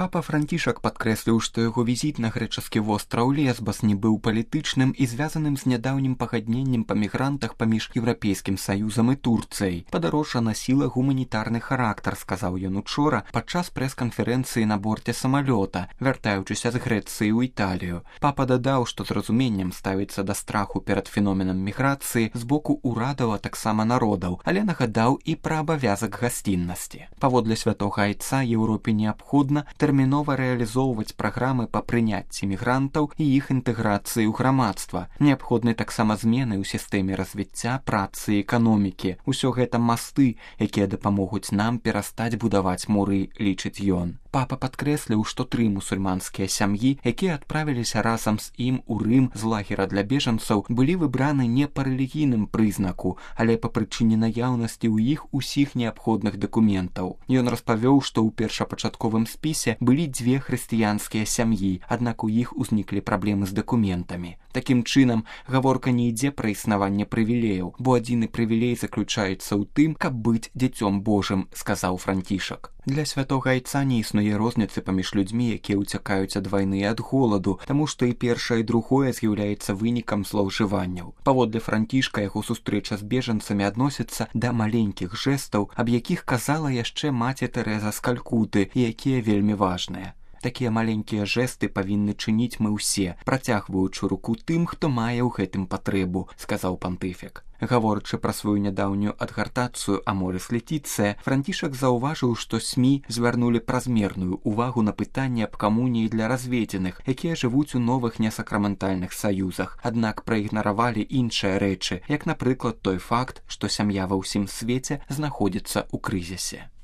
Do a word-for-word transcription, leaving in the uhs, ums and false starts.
Папа Францішак падкрэсліў, што яго візіт на грэчаскі востраў Лесбас не быў палітычным і звязаным з нядаўнім пагадненнем па мігрантах паміж Еўрапейскім Саюзам і Турцыяй. Падарожжа насіла гуманітарны характар, сказаў ён учора падчас прэс-канферэнцыі на борце самалёта, вяртаючыся з Грэцыі ў Італію. Папа дадаў, што з разуменнем ставіцца да страху перад феноменам міграцыі з боку ўрадаў, а таксама народаў, але нагадаў і пра абавязак гасціннасці. Паводле святога айца Еўропе неабходна тэрмінова рэалізоўваць праграмы па прыняцці мігрантаў і іх інтэграцыі ў грамадства. Неабходны таксама змены ў сістэме развіцця працы і эканомікі. Усё гэта масты, якія дапамогуць нам перастаць будаваць муры, лічыць ён. Папа падкрэсліў, што тры мусульманскія сям'і, якія адправіліся разам з ім у Рым з лагера для бежанцаў, былі выбраны не па рэлігійным прызнаку, але па прычыне наяўнасці ў іх усіх неабходных дакументаў. Ён распавёў, што ў першапачатковым спісе былі дзве хрысціянскія сям'і, аднак у іх узніклі праблемы з дакументамі. Такім чынам, гаворка не ідзе пра існаванне прывілеяў, бо адзіны прывілей заключаецца ў тым, каб быць дзіцём Божым, сказаў Францішак. Для святога айца не існуе розніцы паміж людзьмі, якія ўцякаюць ад вайны і ад голаду, таму што і першае і другое з'яўляецца вынікам злоўжыванняў. Паводле Францішка, яго сустрэча з бежанцамі адносіцца да маленькіх жэстаў, аб якіх казала яшчэ маці Тэрэза з Калькуты, і якія вельмі важныя. Такія маленькія жэсты павінны чыніць мы ўсе, працягваючы руку тым, хто мае ў гэтым патрэбу, сказаў пантыфік. Гаворачы пра сваю нядаўнюю адгартацыю Аморис Летіцыя, Францішак заўважыў, што СМІ звярнулі празмерную ўвагу на пытанне аб камуніі для разведзеных, якія жывуць у новых несакраментальных саюзах, аднак праігнаравалі іншыя рэчы, як, напрыклад, той факт, што сям'я ва ўсім свеце знаходзіцца ў крызісе.